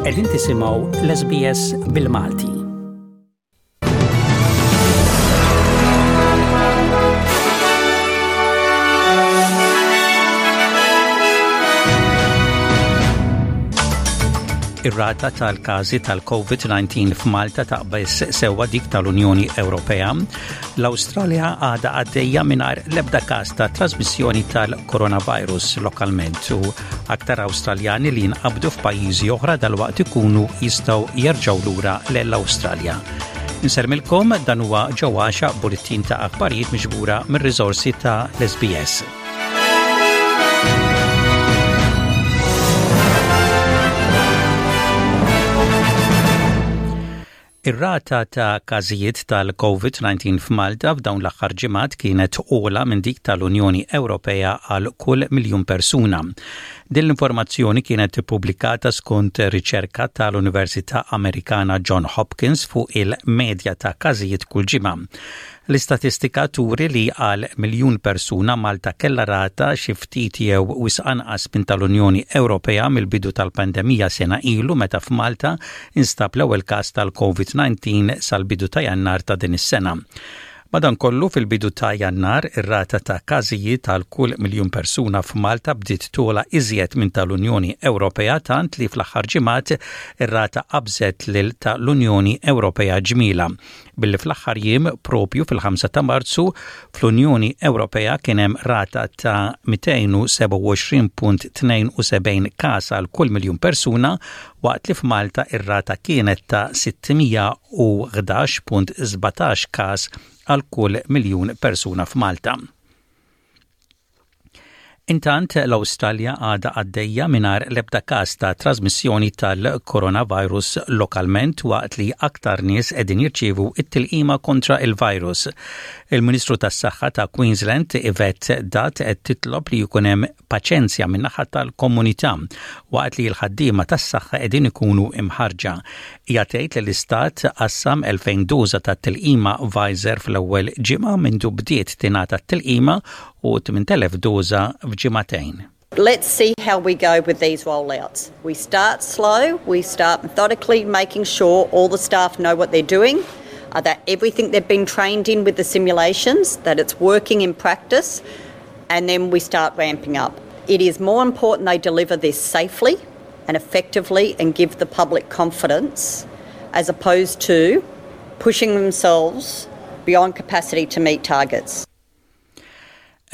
Qegħdin tisimgħu l-SBS bil-Malti. Ir-rata tal-każi tal-COVID-19 f'Malta taqbeż sewwa dik tal-Unjoni Ewropea. L-Awstralja għadha għaddejja mingħajr l-ebda każ ta' trasmissjoni tal-coronavirus lokalment u aktar Awstraljani li jinqabdu f'pajjiżi oħra dalwaqt ikunu jistgħu jerġgħu lura l-Awstralja. Insermilkom dan huwa ġewwaxa bulettin ta' aħbarijiet miġbura mir-riżorsi ta' l-SBS. Ir-rata ta' każijiet tal-COVID-19 f'Malta f'dawn l-aħħar ġimgħat kienet ogħla minn dik tal-Unjoni Ewropea għal kull miljun persuna. Din l-informazzjoni kienet ippubblikata skont riċerka tal-Università Amerikana John Hopkins fuq il-medja ta' każijiet kull ġimgħa. L-istatistika turi li għal miljun persuna Malta kellha rata xi ftit jew wisq anqas minn tal-Unjoni Ewropea mill-bidu tal-pandemija sena ilu meta f'Malta instab l-ewwel każ tal-Covid-19 sal-bidu ta' Jannar ta' din is-sena. Madankollu, fil-bidu ta' Jannar, ir-rata ta' każijiet għal kull miljun persuna f'Malta bdiet togħla iżjed minn tal-Unjoni Ewropea tant li fl-aħħar ġimgħat ir-rata qabżet lil ta' l-Unjoni Ewropea ġmielha. Billi fl-aħħar jiem, proprju fil-5 ta' Marzu, fl-Unjoni Ewropea kien hemm rata ta' 227.72 każ għal kull miljun persuna, waqt li f'Malta ir-rata kienet ta' 611.17 każ għal kull miljun persuna f'Malta. Intant, l-Awstralja għadha għaddejja mingħajr l-ebda każ ta' trażmissjoni tal-coronavirus lokalment waqt li aktar nies qegħdin jirċievu t-tilqima kontra il-virus. Il-Ministru tas-Saħħa ta' Queensland, Yvette D'Ath qed titlob li jkun hemm paċenzja min-naħa tal-komunità waqt li l-ħaddiema tas-saħħa qegħdin ikunu imħarrġa. Hija tgħid li l-istat qassam 2,000 doża tat-tilqima Pfizer fl-ewwel ġimgħa mindu bdiet tingħata t-tilqima u 8,000 doża f'ġimagħtejn. Let's see how we go with these rollouts. We start slow, we start methodically making sure all the staff know what they're doing, uh, that everything they've been trained in with the simulations, that it's working in practice, and then we start ramping up. It is more important they deliver this safely and effectively and give the public confidence as opposed to pushing themselves beyond capacity to meet targets.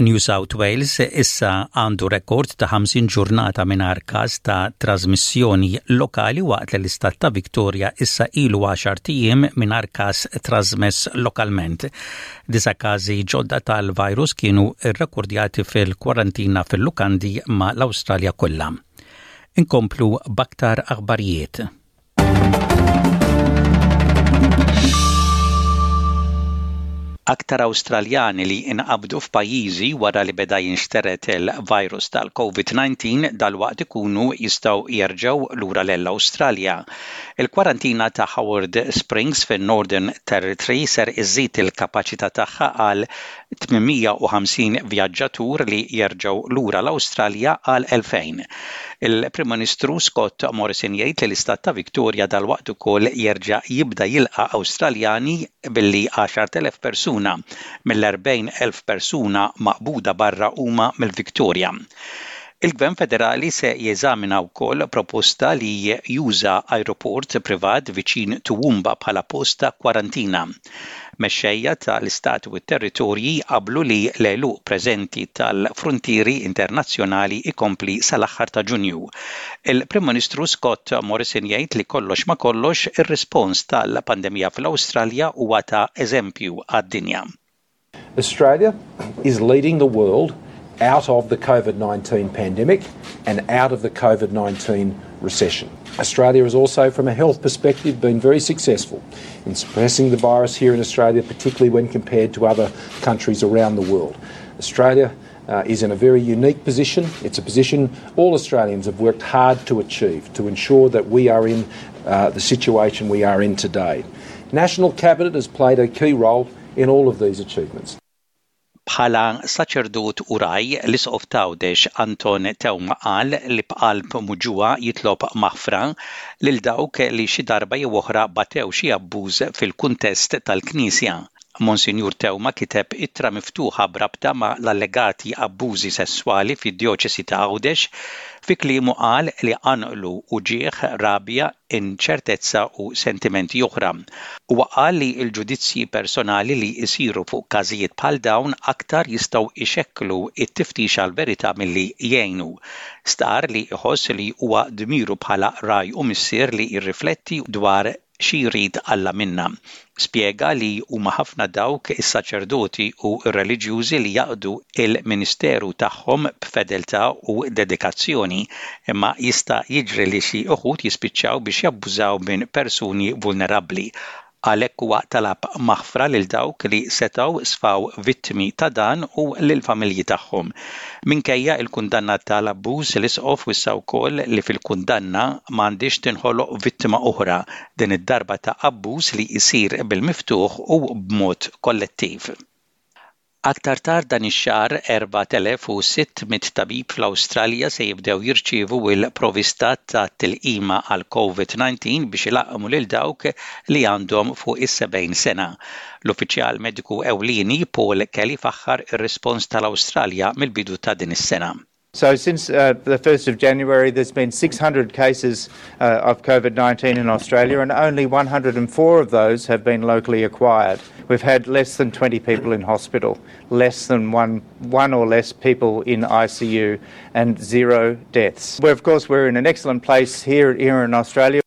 New South Wales issa għandu rekord ta' 50 ġurnata mingħajr każ ta' trażmissjoni lokali waqt li l-istat ta' Victoria issa ilu għaxart ijiem mingħajr każ trażmess lokalment. Disa' każi ġodda tal-virus kienu rrekordjati fil-kwarantina fil-lukandi ma' l-Awstralja kollha. Inkomplu b'aktar aħbarijiet. Aktar Awstraljani li inqabdu f'pajjiżi wara li beda jinxtered il-virus tal-COVID-19 dalwaqt ikunu jistgħu jerġgħu lura lell-Awstralja. Il-kwarantina ta' Howard Springs fin-Northern Territory ser iżżid il-kapaċità tagħha għal 850 vjaġġatur li jerġgħu lura l-Awstralja għal 2000. Il-Prim Ministru Scott Morrison jgħid li l-istat ta' Victoria dalwaqt ukoll jerġa' jibda jilqa' Awstraljani billi 10,000 persuna mill-40,000 persuna maqbuda barra huma mill-Victoria. Il-Gvern Federali se jeżamina wkoll proposta li juża ajruport privat viċin Toowoomba bħala post ta' kwarantina. Mexxejja ta' l-Istati u t-Territorji qablu li l-għeluq preżenti tal-fruntieri internazzjonali jkompli sal-aħħar ta' Ġunju. Il-Prim Ministru Scott Morrison jgħid li kollox ma' kollox ir-rispons tal-pandemija fl-Awstralja huwa ta' eżempju għad-dinja. Australia is leading the world out of the COVID-19 pandemic and out of the COVID-19 recession. Australia has also, from a health perspective, been very successful in suppressing the virus here in Australia, particularly when compared to other countries around the world. Australia uh, is in a very unique position. It's a position all Australians have worked hard to achieve to ensure that we are in uh, the situation we are in today. National Cabinet has played a key role in all of these achievements. Bħala saċerdot u ragħaj, l-Isqof t'Għawdex Anton Teuma qal li b'qalb muġugħa jitlob maħfra lil dawk li xi darba jew oħra batew xi abbuż fil-kuntest tal-Knisja. Monsinjur Teuma kiteb ittra miftuħa b'rabta ma' l-allegati abbużi sesswali fid-Djoċesi ta' Għawdex. Fi kliemu qal li qanqlu uġigħ, rabja, inċertezza u sentimenti oħra. Huwa qal li l-ġudizzji personali li jsiru fuq każijiet bħal dawn aktar jistgħu jxekklu t-tiftix għall-verità milli jgħinu. Stqarr li jħoss li huwa dmiru bħala ragħaj u missier li jirrifletti dwar xi jrid Alla minna. Spjega li huma ħafna dawk is-saċerdoti u r-reliġjużi li jaqdu l-ministeru tagħhom b'fedeltà u dedikazzjoni, imma jista' jiġri li xi uħud jispiċċaw biex jabbużaw minn persuni vulnerabbli. Għalhekk huwa talab maħfra lil dawk li setgħu sfaw vittmi ta' dan u lill-familji tagħhom. Minkejja l-kundanna tal-abbuż, l-Isqof wissa wkoll li fil-kundanna m'għandhiex tinħoloq vittima oħra, din id-darba ta' abbuż li jsir bil-miftuħ u b'mod kollettiv. Aktar tard dan ix-xahar, 4,600 tabib fl-Awstralja se jibdew jirċievu l-provista ta' tilqima għall-COVID-19 biex ilaqqmu lil dawk li għandhom fuq is-70 sena. L-uffiċjal mediku ewlieni Paul Kelly faħħar ir-rispons tal-Awstralja mill-bidu ta' din is-sena. So since uh, the 1st of January, there's been 600 cases uh, of COVID-19 in Australia, and only 104 of those have been locally acquired. We've had less than 20 people in hospital, less than one, one or less people in ICU, and zero deaths. We're, of course, we're in an excellent place here, here in Australia.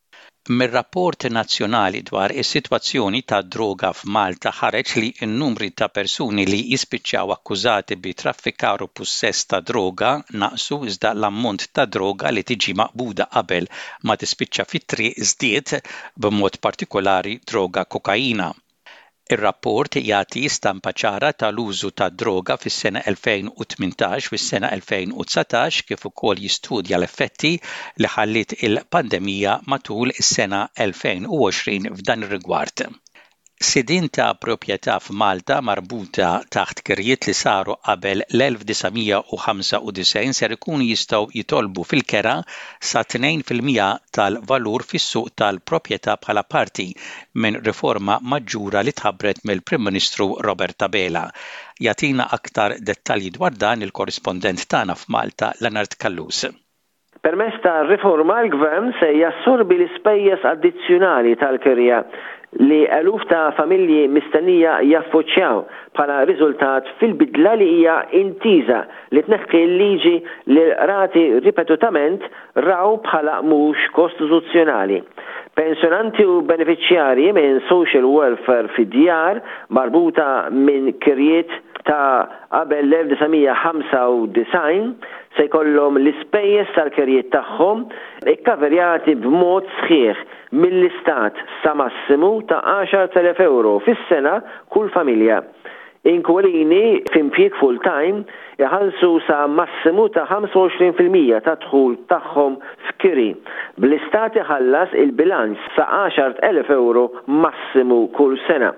Mir-rapport nazzjonali dwar is-sitwazzjoni tad-droga f'Malta ħareġ li n-numri ta' persuni li jispiċċaw akkużati bi traffikar u pussess ta' droga naqsu iżda l-ammont ta' droga li tiġi maqbuda qabel ma tispiċċa fit-triq żdied, b'mod partikolari droga kokaina. Ir-rapport jagħti stampa ċara tal-użu tad-droga fis-sena 2018 u s-sena 2019 kif ukoll jistudja l-effetti li ħalliet il-pandemija matul is-sena 2020 f'dan ir-rigward. Sidien ta' proprjetà f'Malta marbuta taħt kirjiet li saru qabel l-1995 ser ikunu jistgħu jitolbu fil-kera sa 2% tal-valur fis-suq tal-proprjetà bħala parti minn riforma maġġura li tħabbret mill-Prim Ministru Robert Abela. Jagħtina aktar dettalji dwar dan il-korrispondent tagħna f'Malta Leonard Callus. Permezz tar-riforma l-Gvern se jassorbi l-ispejjeż addizzjonali tal-kirja li eluf ta' familji mistennija jaffoċċjaw bħala riżultat fil-bidla li hija intiża li tneħħi l-liġi li l-qrati ripetutament raw bħala mhux kostituzzjonali. Pensjonanti u benefiċjarji minn social welfare fi djar marbuta minn kirjiet ta' qabel l-1995 se jkollhom l-ispejjeż tal-kirjiet tagħhom ikkaverjati b'mod sħiħ mill-Istat sa massimu ta' 10,000 ewro fis-sena kull familja. Inkwilini f'impjieg full-time iħallsu sa massimu ta' 25% tad-dħul tagħhom f'kiri, bl-Istat iħallas il-bilanċ sa 10,000 ewro massimu kull sena.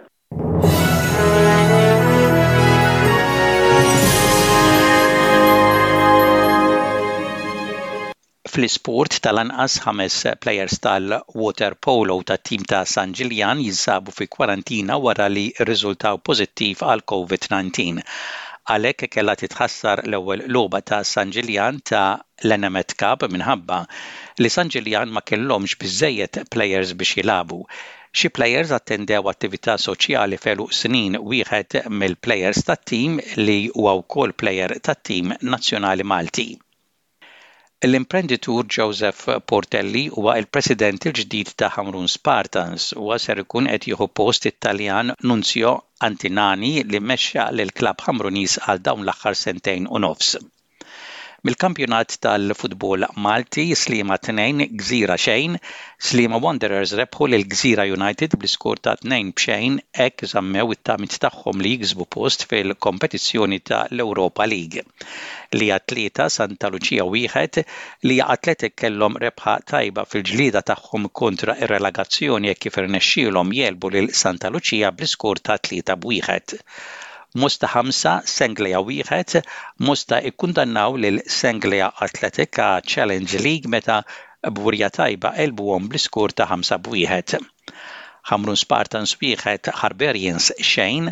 Fl-isport, tal-anqas ħames plejers tal-waterpolo tat-tim ta' San Ġiljan jinsabu fi kwarantina wara li rriżultaw pożittiv għal Covid-19. Għalhekk kellha titħassar l-ewwel logħba ta' San Ġiljan ta' l-Enemed Cup minħabba li San Ġiljan ma kellhomx biżżejjed plejers biex jilagħbu. Xi plejers attendew attività soċjali f'għeluq snin wieħed mill-plejers tat-tim li huwa wkoll plejer tat-tim nazzjonali Malti. L-imprenditur Joseph Portelli huwa l-President il-ġdid ta' Ħamrun Spartans. Huwa ser ikun qed jieħu post it-Taljan Nunzio Antinani li mexxa lill-klabb Ħamruniż għal dawn l-aħħar sentejn u nofs. Mill-kampjonat tal-futbol Malti, Sliema 2, Gżira xejn, Sliema Wanderers rebħu lil Gżira United bl-iskor ta' 2 b'xejn hekk żammew it-tamiet tagħhom li jiksbu post fil-kompetizzjoni ta' l-Europa League. Lija 3, Santa Lucia 1, Lija Athletic kellhom rebħa tajba fil-ġlieda tagħhom kontra r-relagazzjoni hekk kif irnexxielhom jegħlbu lil Santa Lucia bl-iskor ta' 3 b' 1. Mosta 5, Senglea 1, Mosta ikkundannaw lil Senglea Athletic għaċ-Challenge League meta b'wirja tajba għelbuhom bl-iskor ta' 5 b'wieħed. Ħamrun Spartans 1, Harbarians xejn,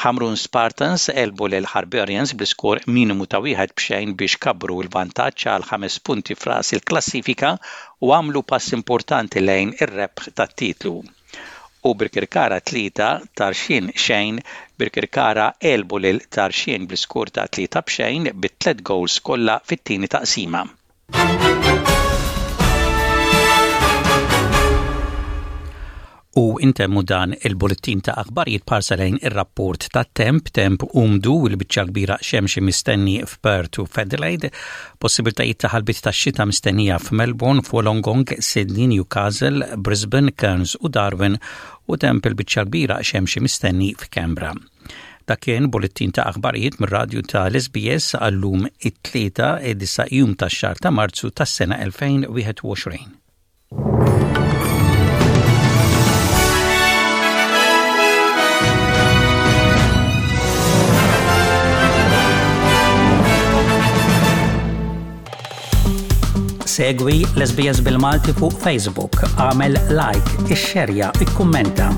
Ħamrun Spartans għelbu lil Harbarians bl-iskor minimu ta' wieħed b'xejn biex kabbru l-vantaġġ għal ħames punti f'ras il-klassifika u għamlu pass importanti lejn ir-rebħ tat-titlu. U Birkirkara 3, Tarxien xejn, Birkirkara għelbu lil Tarxien bl-iskor ta' 3 b'xejn bit-tliet gowls kollha fit-tieni taqsima. U intemmu dan il-bullettin ta' aħbarijiet b'ħarsa lejn ir-rapport tat-temp, temp umdu u l-biċċa kbira xemxi mistenni f'Perth u f'Adelaide, possibiltajiet ta' ħalbiet ta' xita mistennija f'Melbourne, f'Wollongong, Sydney, Newcastle, Brisbane, Cairns u Darwin u temp il-biċċa kbira xemxi mistenni f'Canberra. Dak kien bullettin ta' aħbarijiet mir-radju ta' l-SBS għallum it-tlieta id-disa' jum tax-xahar ta' Marzu tas-sena 2021. Segwi l-SBS bil-Malti fuq Facebook, għamel like, ixxerja, ikkummenta.